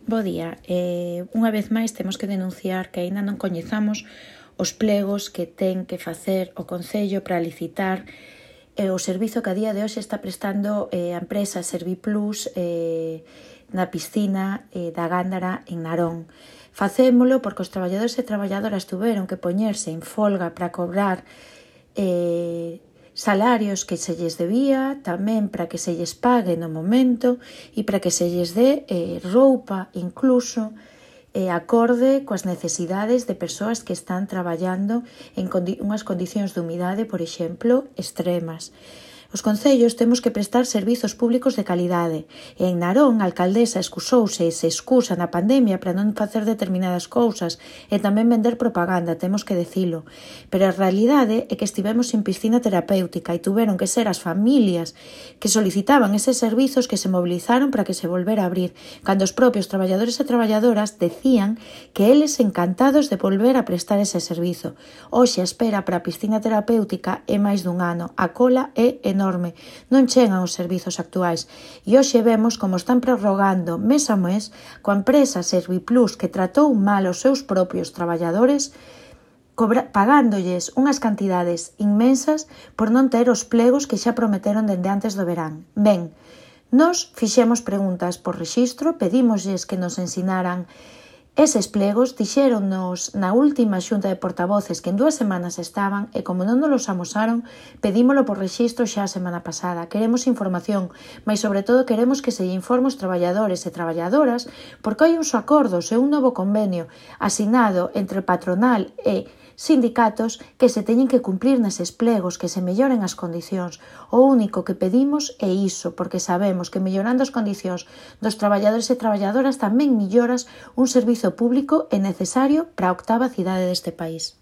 Bo día. Unha vez máis temos que denunciar que aínda non coñezamos os plegos que ten que facer o Concello para licitar o servizo que a día de hoxe está prestando a empresa Serviplus na piscina da Gándara en Narón. Facémolo porque os traballadores e traballadoras tuveron que poñerse en folga para cobrar salarios que se lles debía, tamén para que se lles pague no momento e para que se lles dé roupa incluso acorde coas necesidades de persoas que están traballando en unhas condicións de humidade, por exemplo, extremas. Os concellos temos que prestar servizos públicos de calidade e en Narón a alcaldesa excusouse e se excusa na pandemia para non facer determinadas cousas e tamén vender propaganda, temos que dicilo. Pero a realidade é que estivemos sin piscina terapéutica e tuveron que ser as familias que solicitaban eses servizos que se movilizaron para que se volvera a abrir, cando os propios traballadores e traballadoras decían que eles encantados de volver a prestar ese servizo. Hoxe a espera para a piscina terapéutica é máis dun ano, a cola é enorme, non chegan os servizos actuais e hoxe vemos como están prorrogando mes a mes coa empresa Serviplus que tratou mal os seus propios traballadores pagándoles unhas cantidades inmensas por non ter os plegos que xa prometeron dende antes do verán. Ben, nos fixemos preguntas por rexistro, pedímoslles que nos ensinaran eses plegos, dixéronnos na última xunta de portavoces que en 2 semanas estaban e como non nos los amosaron, pedímolo por rexistro xa a semana pasada. Queremos información, mas sobre todo queremos que se lle informe os traballadores e traballadoras porque hai uns acordos e un novo convenio asinado entre patronal e sindicatos que se teñen que cumplir neses plegos, que se melloren as condicións. O único que pedimos é iso, porque sabemos que mellorando as condicións dos traballadores e traballadoras tamén melloras un servizo público e necesario para a 8ª cidade deste país.